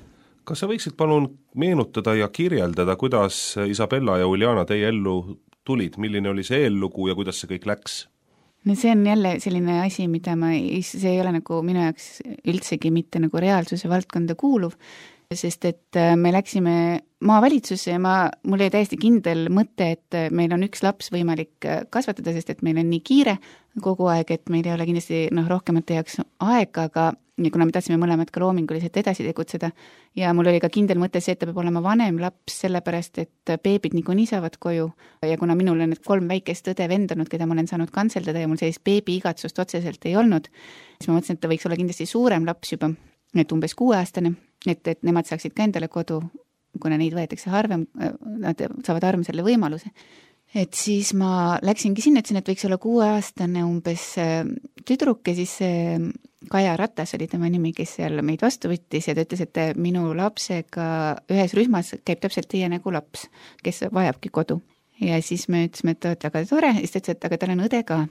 Speaker 2: Kas sa võiksid palun meenutada ja kirjeldada, kuidas Isabella ja Uljana teie ellu tulid, milline oli see eellugu ja kuidas see kõik läks?
Speaker 3: No see on jälle selline asi, mida see ei ole nagu minu jaoks üldsegi mitte nagu reaalsuse valdkonda kuuluv, sest et me läksime maavalitsusse ja mul oli täiesti kindel mõte, et meil on üks laps võimalik kasvatada, sest et meil on nii kiire kogu aeg, et meil ei ole kindlasti rohkemate jaoks aega, aga ja kuna me tahtsime mõlemad ka loominguliselt edasi tegutseda ja mul oli ka kindel mõte see, et ta peab olema vanem laps, sellepärast et beebid niikuinii saavad koju ja kuna minul on need 3 väikest õde vendanud, keda ma olen saanud kantseldada ja mul sellist beebi igatsust otseselt ei olnud, siis ma mõtlesin, et ta võiks olla kindlasti suurem laps juba, et umbes 6-aastane, et nemad saaksid ka endale kodu, kuna neid võetakse harvem, nad saavad harvem selle võimaluse. Et siis ma läksingi sinna, ütlesin, et võiks olla 6-aastane umbes tüdruk ja siis Kaja Ratas oli tema nimi, kes seal meid vastu võttis ja ta ütles, et minu lapsega ühes rühmas käib täpselt teie nagu laps, kes vajabki kodu. Ja siis me ütlesime, et väga tore, siis ta ütles, et aga tal on õde ka,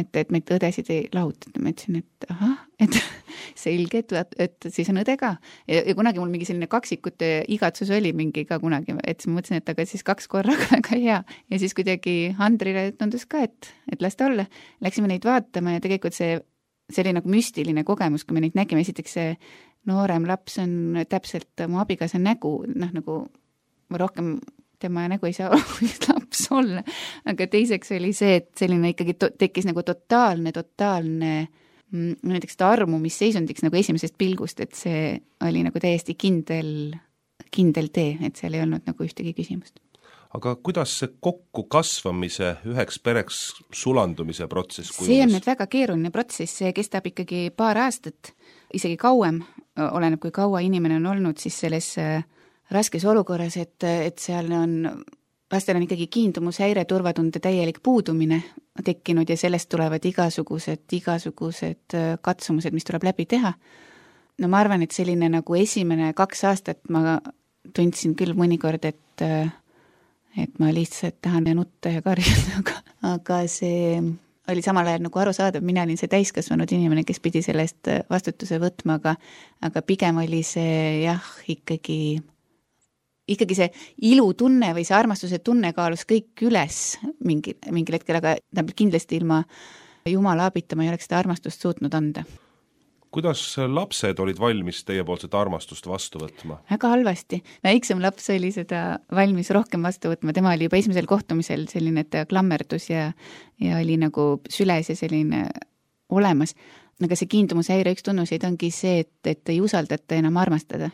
Speaker 3: et meid õdesid ei lahutata. Ma ütlesin, et ahah, et selge, et siis on õde ka. Ja kunagi mul mingi selline kaksikute igatsus oli mingi ka kunagi, et siis ma mõtlesin, et aga siis 2 korraga väga hea. Ja siis kuidagi Andrile tundus ka, et las ta olla. Läksime neid vaatama ja tegelikult see oli nagu müstiline kogemus, kui me neid nägime. Esiteks see noorem laps on täpselt mu abikaasa nägu, nagu rohkem tema nägu ei saa laps olla, aga teiseks oli see, et selline ikkagi tekkis nagu totaalne näiteks armumisseisundis nagu esimesest pilgust, et see oli nagu täiesti kindel tee, et seal ei olnud nagu ühtegi küsimust.
Speaker 2: Aga kuidas see kokku kasvamise üheks pereks sulandumise protsess kujunes?
Speaker 3: See on nüüd väga keeruline protsess, see kestab ikkagi paar aastat, isegi kauem, oleneb kui kaua inimene on olnud siis selles raskes olukorras, et seal on, lastel on ikkagi kiindumushäire, turvatunde täielik puudumine tekkinud ja sellest tulevad igasugused katsumused, mis tuleb läbi teha. No ma arvan, et selline nagu esimene 2 aastat ma tundsin küll mõnikord, et ma lihtsalt tahan nutta ja karjuda, aga see oli samal ajal nagu arusaadav, mina olin see täiskasvanud inimene, kes pidi sellest vastutuse võtma, aga pigem oli see jah, ikkagi see ilutunne või see armastuse tunne kaalus kõik üles mingil hetkel, aga kindlasti ilma Jumala abita ma ei oleks seda armastust suutnud anda.
Speaker 2: Kuidas lapsed olid valmis teiepoolset armastust vastu võtma?
Speaker 3: Väga halvasti. Väiksem laps oli seda valmis rohkem vastu võtma. Tema oli juba esimesel kohtumisel selline, et klammerdus ja oli nagu süles ja selline olemas. Aga see kiindumushäire üks tunnuseid ongi see, et ei usaldata enam armastada.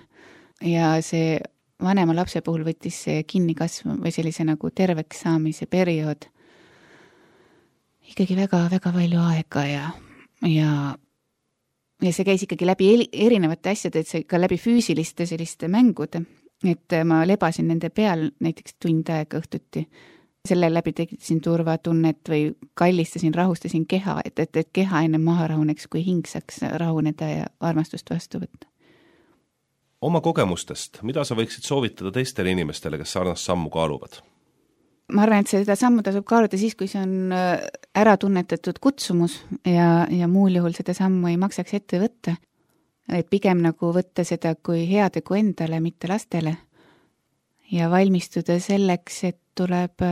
Speaker 3: Ja see vanema lapse puhul võttis see kinni kasv või sellise nagu terveks saamise periood ikkagi väga-väga palju aega ja see käis ikkagi läbi erinevate asjade, et see ka läbi füüsiliste selliste mängude, et ma lebasin nende peal näiteks tund aega õhtuti. Selle läbi tekitasin turvatunnet või kallistasin, rahustasin keha, et keha enne maha rahuneks, kui hing saaks rahuneda ja armastust vastu võtta.
Speaker 2: Oma kogemustest, mida sa võiksid soovitada teistele inimestele, kes sarnast sammu kaaluvad?
Speaker 3: Ma arvan, et seda sammu tasub kaaluda siis, kui see on ära tunnetatud kutsumus ja muul juhul seda sammu ei maksaks ette võtta. Et pigem nagu võtta seda kui heategu endale, mitte lastele ja valmistuda selleks, et tuleb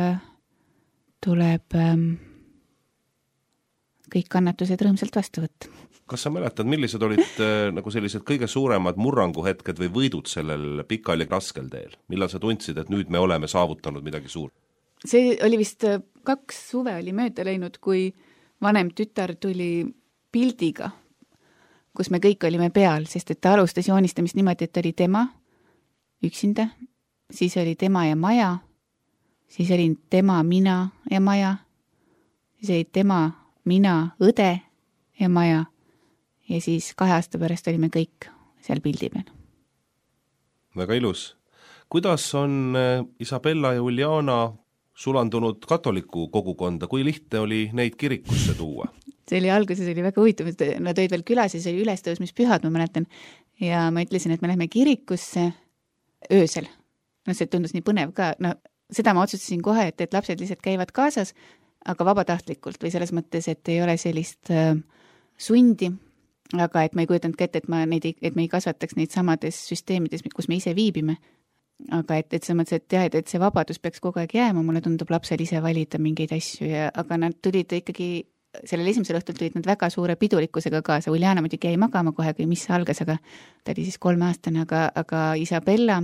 Speaker 3: kõik kannatused rõõmsalt vastu võtta.
Speaker 2: Kas sa mäletad, millised olid nagu sellised kõige suuremad murranguhetked või võidud sellel pikal ja raskel teel? Millal sa tundsid, et nüüd me oleme saavutanud midagi suurt?
Speaker 3: See oli vist 2 suve oli mööda läinud, kui vanem tütar tuli pildiga, kus me kõik olime peal, sest et ta alustas joonistamist niimoodi, et oli tema üksinda, siis oli tema ja maja, siis oli tema, mina ja maja, siis oli tema, mina, õde ja maja ja siis 2 aasta pärast olime kõik seal pildi peal.
Speaker 2: Väga ilus. kuidas on Isabella ja Uljana sulandunud katoliku kogukonda, kui lihtne oli neid kirikusse tuua?
Speaker 3: See oli alguses oli väga huvitav, et nad olid veel külas ja see oli ülestõusmispühad, ma mäletan, ja ma ütlesin, et me lähme kirikusse öösel. No see tundus nii põnev ka, no seda ma otsustasin kohe, et lapsed lihtsalt käivad kaasas, aga vabatahtlikult või selles mõttes, et ei ole sellist sundi, aga et ma ei kujutanud ka ette, et me ei kasvataks neid samades süsteemides, kus me ise viibime. Aga et selles mõttes, et jah, et see vabadus peaks kogu aeg jääma, mulle tundub lapsel ise valida mingeid asju, aga nad tulid ikkagi, sellel esimesel õhtul tulid nad väga suure pidulikkusega kaasa. Uljana muidugi jäi magama kohe, kui mis algas, aga ta oli siis 3-aastane, aga Isabella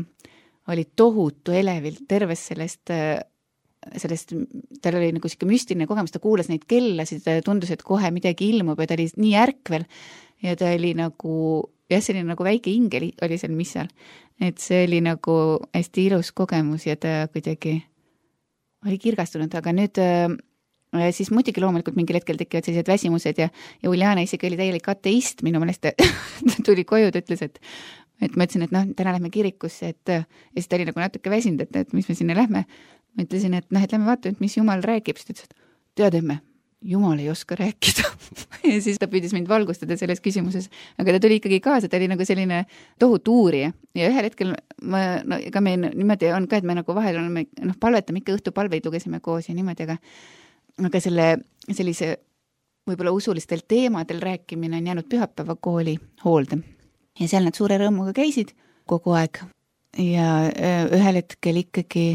Speaker 3: oli tohutu elevil terves sellest, tal oli nagu siuke müstiline kogemus, ta kuulas neid kellasid, tundus, et kohe midagi ilmub ja ta oli nii ärkvel ja ta oli nagu, jah, selline nagu väike ingel oli seal missal. Et see oli nagu hästi ilus kogemus ja ta kuidagi oli kirgastunud, aga nüüd siis muidugi loomulikult mingil hetkel tekivad sellised väsimused ja Uljana isegi oli täielik ateist, minu meelest ta tuli koju, ta ütles, et ma ütlesin, et täna lähme kirikusse, ja siis ta oli nagu natuke väsinud, et mis me sinna lähme. Ma ütlesin, et lähme vaatame, mis Jumal räägib, siis ta ütles, et tead, emme, Jumal ei oska rääkida. Ja siis ta püüdis mind valgustada selles küsimuses, aga ta tuli ikkagi kaasa, ta oli nagu selline tohutu uurija ja ühel hetkel ega me niimoodi on ka, et me nagu vahel oleme, palvetame ikka õhtupalveid, lugesime koos ja niimoodi, aga sellise võib-olla usulistel teemadel rääkimine on jäänud pühapäevakooli hoolde ja seal nad suure rõõmuga käisid kogu aeg ja ühel hetkel ikkagi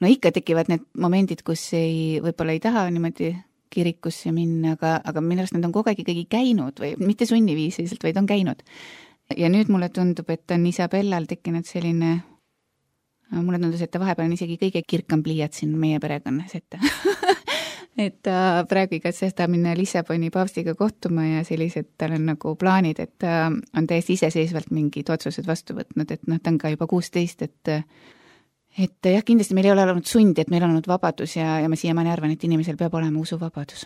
Speaker 3: ikka tekivad need momendid, kus võib-olla ei taha niimoodi kirikusse minna, aga minu arust nad on kogu aeg ikkagi käinud või mitte sunniviisiliselt, vaid on käinud. Ja nüüd mulle tundub, et on Isabellal tekkinud selline, mulle tundus, et ta vahepeal on isegi kõige kirkam pliiat siin meie perekonnas, et ta praegu igatses ta minna Lissaboni paavstiga kohtuma ja sellised, tal on nagu plaanid, et ta on täiesti iseseisvalt mingid otsused vastu võtnud, et ta on ka juba 16, et jah, kindlasti meil ei ole olnud sundi, et meil on olnud vabadus ja ma siiamaani arvan, et inimesel peab olema usuvabadus.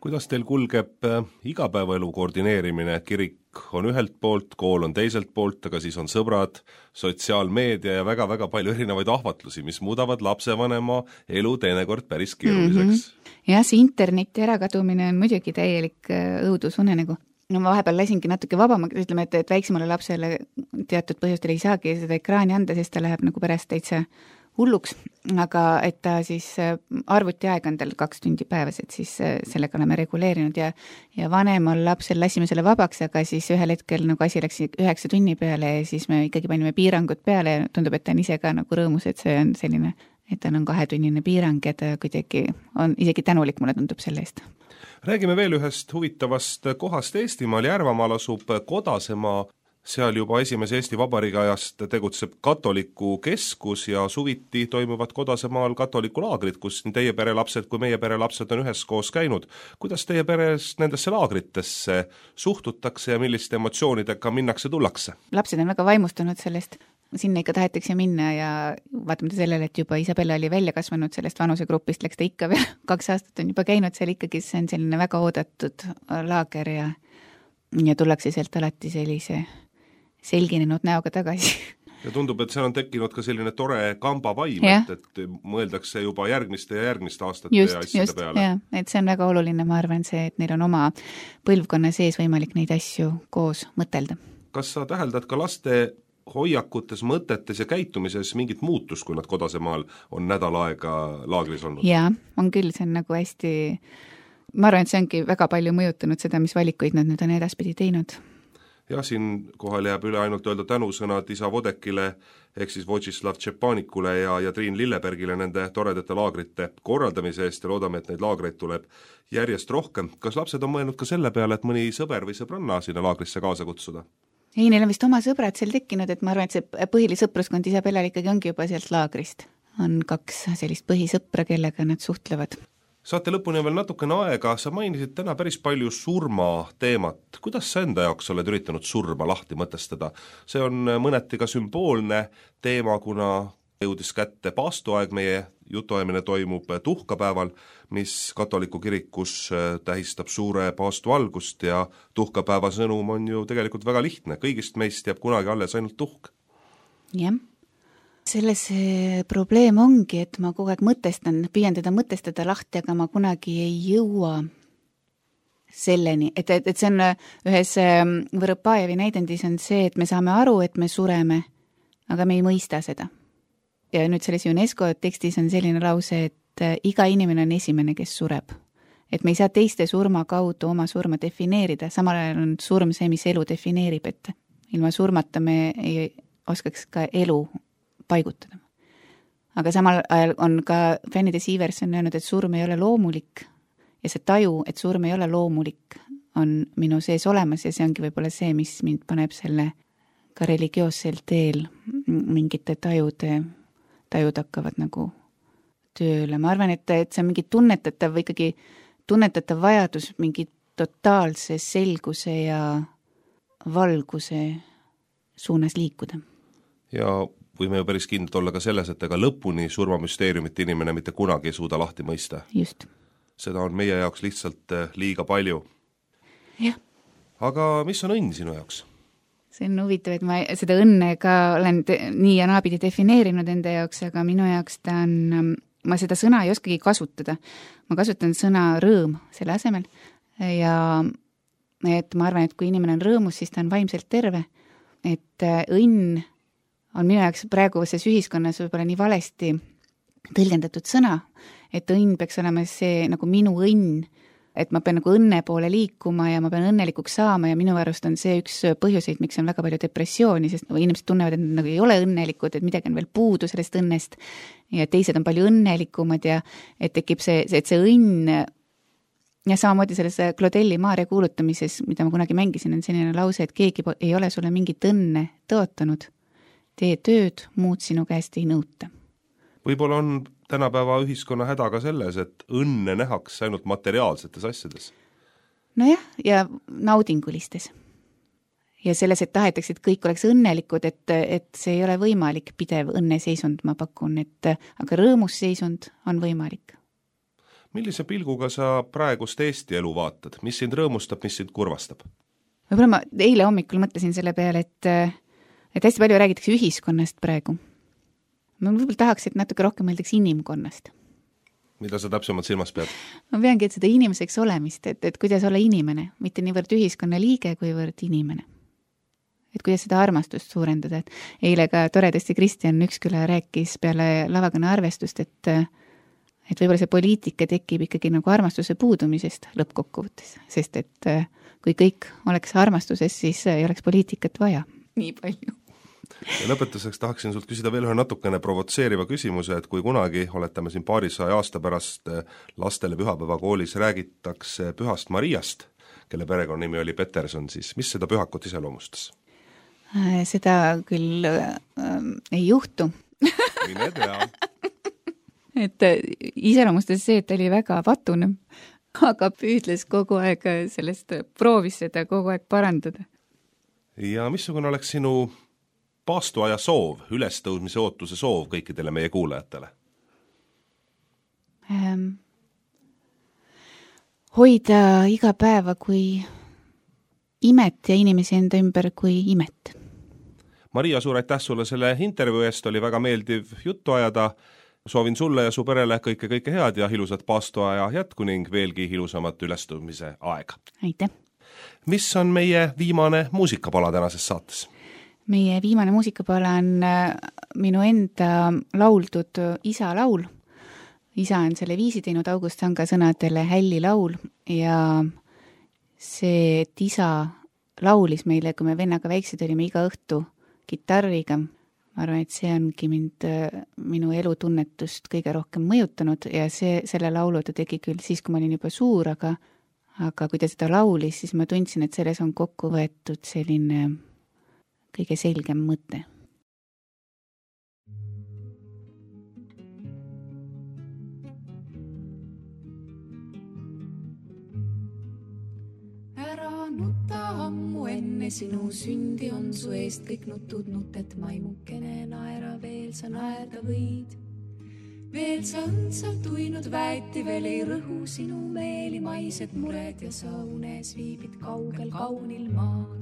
Speaker 2: Kuidas teil kulgeb igapäevaelu koordineerimine? Kirik on ühelt poolt, kool on teiselt poolt, aga siis on sõbrad, sotsiaalmeedia ja väga-väga palju erinevaid ahvatlusi, mis muudavad lapsevanema elu teinekord päris keeruliseks.
Speaker 3: Jah, see interneti ärakadumine on muidugi täielik õudusunenegu. No ma vahepeal lasingi natuke vabama, ütleme, et väiksemale lapsele teatud põhjustel ei saagi seda ekraani anda, sest ta läheb nagu pärast täitsa hulluks, aga et ta siis arvuti aeg on tal 2 tundi päevas, et siis sellega oleme reguleerinud ja vanemal lapsel lasime selle vabaks, aga siis ühel hetkel nagu asi läks 9 tunni peale ja siis me ikkagi panime piirangud peale ja tundub, et ta on ise ka nagu rõõmus, et see on selline, et ta on 2-tunnine piirang ja ta kuidagi on isegi tänulik, mulle tundub selle eest.
Speaker 2: Räägime veel ühest huvitavast kohast Eestimaal. Järvamaal asub Kodasemaa, seal juba esimese Eesti Vabariigi ajast tegutseb katoliku keskus ja suviti toimuvad Kodasemaal katoliku-laagrid, kus nii teie perelapsed kui meie perelapsed on üheskoos käinud. Kuidas teie peres nendesse laagritesse suhtutakse ja milliste emotsioonidega minnakse tullakse?
Speaker 3: Lapsed on väga vaimustunud sellest. Sinna ikka tahetakse minna ja vaatamata sellele, et juba Isabella oli välja kasvanud sellest vanusegrupist, läks ta ikka veel 2 aastat on juba käinud seal ikkagi, see on selline väga oodatud laager ja tullakse sealt alati sellise selginenud näoga tagasi.
Speaker 2: Ja tundub, et seal on tekkinud ka selline tore kambavaim, et mõeldakse juba järgmiste ja järgmiste aastate ja asjade peale.
Speaker 3: Jah, et see on väga oluline, ma arvan see, et neil on oma põlvkonna sees võimalik neid asju koos mõtelda.
Speaker 2: Kas sa täheldad ka laste hoiakutes, mõtetes ja käitumises mingit muutus, kui nad Kodasemaal on nädal aega laagris olnud?
Speaker 3: Jaa, on küll, see on nagu hästi, ma arvan, et see ongi väga palju mõjutanud seda, mis valikuid nad nüüd on edaspidi teinud.
Speaker 2: Jah, siin kohal jääb üle ainult öelda tänusõnad isa Vodekile ehk siis Wojcislav Tšepanikule ja Triin Lillebergile nende toredate laagrite korraldamise eest ja loodame, et neid laagreid tuleb järjest rohkem. Kas lapsed on mõelnud ka selle peale, et mõni sõber või sõbranna sinna laagrisse kaasa kutsuda?
Speaker 3: Ei, neil on vist oma sõbrad seal tekkinud, et ma arvan, et see põhilisõpruskond Isabellal ikkagi ongi juba sealt laagrist. On 2 sellist põhisõpra, kellega nad suhtlevad.
Speaker 2: Saate lõpuni veel natukene aega, sa mainisid täna päris palju surma teemat. Kuidas sa enda jaoks oled üritanud surma lahti mõtestada? See on mõneti ka sümboolne teema, kuna jõudis kätte paastuaeg, meie jutuajamine toimub tuhkapäeval, mis katoliku kirikus tähistab suure paastu algust ja tuhkapäeva sõnum on ju tegelikult väga lihtne. Kõigist meist jääb kunagi alles ainult tuhk.
Speaker 3: Jah. Selles probleem ongi, et ma kogu aeg püüan teda mõtestada lahti, aga ma kunagi ei jõua selleni, et see on ühes Võrõpajevi näidendis on see, et me saame aru, et me sureme, aga me ei mõista seda. Ja nüüd selles UNESCO tekstis on selline lause, et iga inimene on esimene, kes sureb. Et me ei saa teiste surma kaudu oma surma defineerida, samal ajal on surm see, mis elu defineerib, et ilma surmata me ei oskaks ka elu paigutada. Aga samal ajal on ka Fanny de Sievers on öelnud, et surm ei ole loomulik ja see taju, et surm ei ole loomulik, on minu sees olemas ja see ongi võib-olla see, mis mind paneb selle ka religioossel teel mingite tajud hakkavad nagu tööle. Ma arvan, et see on mingi tunnetatav vajadus mingi totaalse selguse ja valguse suunas liikuda.
Speaker 2: Ja võime ju päris kindlad olla ka selles, et ega lõpuni surmamüsteeriumit inimene mitte kunagi ei suuda lahti mõista.
Speaker 3: Just.
Speaker 2: Seda on meie jaoks lihtsalt liiga palju.
Speaker 3: Jah.
Speaker 2: Aga mis on õnn sinu jaoks?
Speaker 3: See on huvitav, et ma seda õnne ka olen nii ja naapidi defineerinud enda jaoks, aga minu jaoks ta on, ma seda sõna ei oskagi kasutada. Ma kasutan sõna rõõm selle asemel ja et ma arvan, et kui inimene on rõõmus, siis ta on vaimselt terve. Et õnn on minu jaoks praeguses ühiskonnas võib-olla nii valesti tõlgendatud sõna, et õnn peaks olema see nagu minu õnn, et ma pean nagu õnne poole liikuma ja ma pean õnnelikuks saama ja minu arust on see üks põhjuseid, miks on väga palju depressiooni, sest inimesed tunnevad, et nad nagu ei ole õnnelikud, et midagi on veel puudu sellest õnnest ja teised on palju õnnelikumad ja et tekib see õnn ja samamoodi selles Claudelli Maarja kuulutamises, mida ma kunagi mängisin, on selline lause, et keegi ei ole sulle mingit õnne tõotanud. Tee tööd, muud sinu käest ei nõuta.
Speaker 2: Võib-olla on tänapäeva ühiskonna häda ka selles, et õnne nähakse ainult materiaalsetes asjades.
Speaker 3: Nojah, ja naudingulistes. Ja selles, et tahetakse, et kõik oleks õnnelikud, et see ei ole võimalik pidev õnneseisund, ma pakun, aga rõõmusseisund on võimalik.
Speaker 2: Millise pilguga sa praegust Eesti elu vaatad? Mis sind rõõmustab, mis sind kurvastab?
Speaker 3: Võib-olla ma eile hommikul mõtlesin selle peale, et hästi palju räägitakse ühiskonnast praegu. Ma võib-olla tahaks, et natuke rohkem mõeldaks inimkonnast.
Speaker 2: Mida sa täpsemalt silmas pead?
Speaker 3: Ma peangi, et seda inimeseks olemist, et kuidas olla inimene, mitte niivõrd ühiskonna liige, kuivõrd inimene. Et kuidas seda armastust suurendada. Et eile ka toredasti Kristjan Üksküla rääkis peale lavakõne arvestust, et võib-olla see poliitika tekib ikkagi nagu armastuse puudumisest lõppkokkuvõttes, sest et kui kõik oleks armastuses, siis ei oleks poliitikat vaja nii palju.
Speaker 2: Ja lõpetuseks tahaksin sult küsida veel ühe natukene provotseeriva küsimuse, et kui kunagi oletame siin paarisaja aasta pärast lastele pühapäevakoolis räägitakse Pühast Mariast, kelle perekonnanimi oli Peterson, siis mis seda pühakut iseloomustas?
Speaker 3: Seda küll ei juhtu.
Speaker 2: Mine tea.
Speaker 3: Et iseloomustas see, et ta oli väga patune, aga püüdles kogu aeg sellest, proovis seda kogu aeg parandada.
Speaker 2: Ja missugune oleks sinu paastuaja soov, ülestõudmise ootuse soov kõikidele meie kuulajatele?
Speaker 3: Hoida iga päeva kui imet ja inimesi enda ümber kui imet.
Speaker 2: Maria, suur aitäh sulle selle intervjuu eest, oli väga meeldiv juttu ajada. Soovin sulle ja su perele kõike head ja ilusat paastuaja jätku ning veelgi ilusamat ülestõudmise aega.
Speaker 3: Aitäh!
Speaker 2: Mis on meie viimane muusikapala tänases saates?
Speaker 3: Meie viimane muusikapala on minu enda lauldud isa laul. Isa on selle viisi teinud August Sanga sõnadele Hälli laul ja see, et isa laulis meile, kui me vennaga väiksed olime iga õhtu kitarriga, ma arvan, et see ongi minu elutunnetust kõige rohkem mõjutanud ja selle laulu ta tegi küll siis, kui ma olin juba suur, aga kui ta seda laulis, siis ma tundsin, et selles on kokku võetud selline kõige selgem mõte.
Speaker 5: Ära nutta ammu enne sinu sündi on su eest kõik nutud nutet maimukene naera veel sa naerda võid. Veel sa õndsalt uinud väeti, veel ei rõhu sinu meeli maised mured ja sa unes viibid kaugel kaunil maal.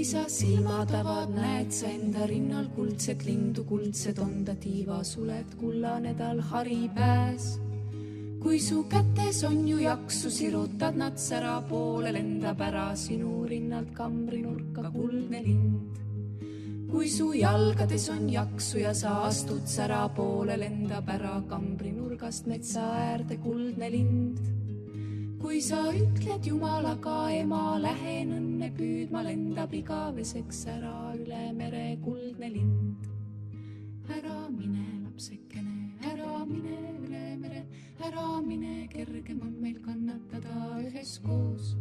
Speaker 5: kui sa silmad avad, näed sa enda rinnal kuldset lindu, kuldsed on ta tiivasuled, kullane tal haripääs. kui su kätes on ju jaksu, sirutad nad sära poole, lendab ära sinu rinnalt kambrinurka kuldne lind. kui su jalgades on jaksu ja sa astud sära poole, lendab ära kambrinurgast metsa äärde kuldne lind. kui sa ütled Jumalaga, ema, lähen õnne püüdma, lendab igaveseks ära üle mere kuldne lind. ära mine, lapsekene, ära mine üle mere, ära mine, kergem on meil kannatada üheskoos.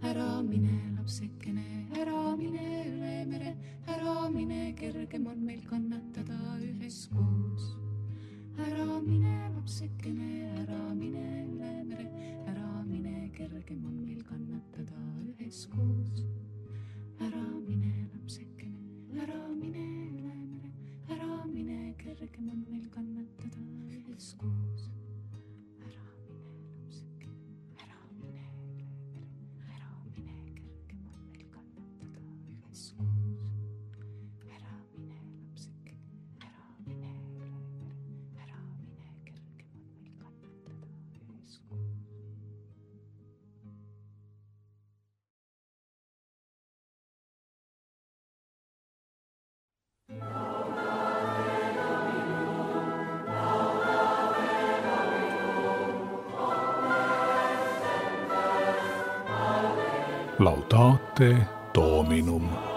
Speaker 5: ära mine, lapsekene, ära mine üle mere, ära mine, kergem on meil kannatada üheskoos. ära mine, lapsekene, ära mine üle mere, ära mine, kergem on meil kannatada üheskoos. ära mine, lapsekene, ära mine üle mere, ära mine, kergem on meil kannatada üheskoos. ära mine, lapsekene, ära mine üle mere, ära mine, kergem on meil kannatada üheskoos. ära mine, lapsekene, ära mine üle mere, ära mine, kergem on meil kannatada üheskoos.
Speaker 1: Laudate Dominum.